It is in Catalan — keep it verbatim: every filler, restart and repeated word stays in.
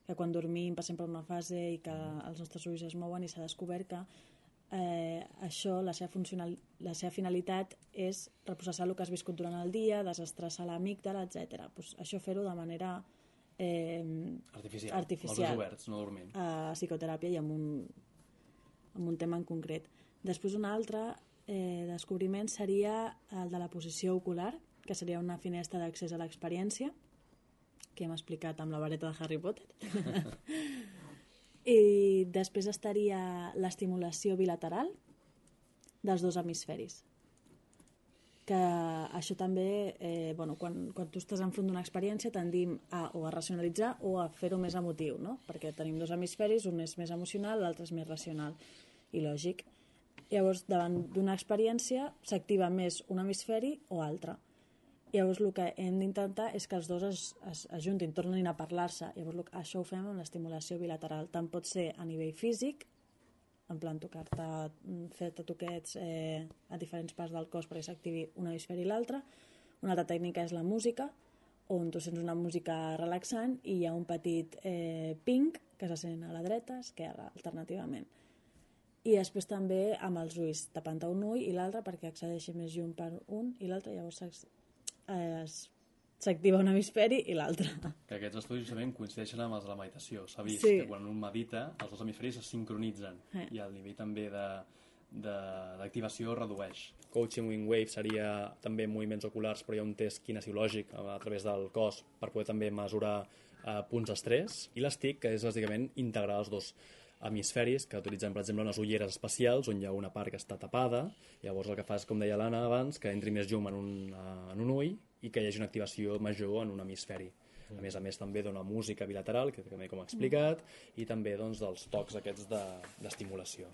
que quan dormim passem per una fase i que els nostres ulls es mouen, i s'ha descobert que eh, això, la seva, funcional, la seva finalitat és reprocessar el que has viscut durant el dia, desestressar l'amígdala, etcètera. Pues això fer-ho de manera eh, artificial, artificial, els ulls oberts, no dormint. A psicoteràpia i amb un, amb un tema en concret. Després un altre eh, descobriment seria el de la posició ocular, que seria una finestra d'accés a l'experiència, que hem explicat amb la vareta de Harry Potter. I després estaria l'estimulació bilateral dels dos hemisferis. Que això també, eh, bueno, quan, quan tu estàs enfront d'una experiència tendim a o a racionalitzar o a fer-ho més emotiu, no? Perquè tenim dos hemisferis, un és més emocional, l'altre és més racional i lògic. Llavors, davant d'una experiència s'activa més un hemisferi o altre. Llavors el que hem d'intentar és que els dos es, es ajuntin, tornin a parlar-se. Llavors això ho fem amb l'estimulació bilateral. Tant pot ser a nivell físic, en plan tocar-te, fer-te toquets eh, a diferents parts del cos perquè s'activi un hemisferi i l'altre. Una altra tècnica és la música, on tu sents una música relaxant i hi ha un petit eh, ping que se sent a la dreta, esquerra, alternativament. I després també amb els ulls, tapant un ull i l'altre perquè accedeixi més llum per un i l'altre, llavors s'activa un hemisferi i l'altre. Que aquests estudis justament coincideixen amb els de la meditació. S'ha vist sí. que quan un medita els dos hemisferis es sincronitzen eh. i el nivell també d'activació redueix. Coaching Wing Wave seria també moviments oculars, però hi ha un test kinesiològic a, a través del cos per poder també mesurar eh, punts d'estrès, i l'Stick, que és bàsicament integrar els dos hemisferis, que utilitzem per exemple unes ulleres especials on hi ha una part que està tapada. Llavors el que fa és, com deia l'Anna abans, que entri més llum en un, en un ull i que hi hagi una activació major en un hemisferi. A més a més també dona música bilateral, que també com ha explicat, i també doncs, dels tocs aquests d'estimulació.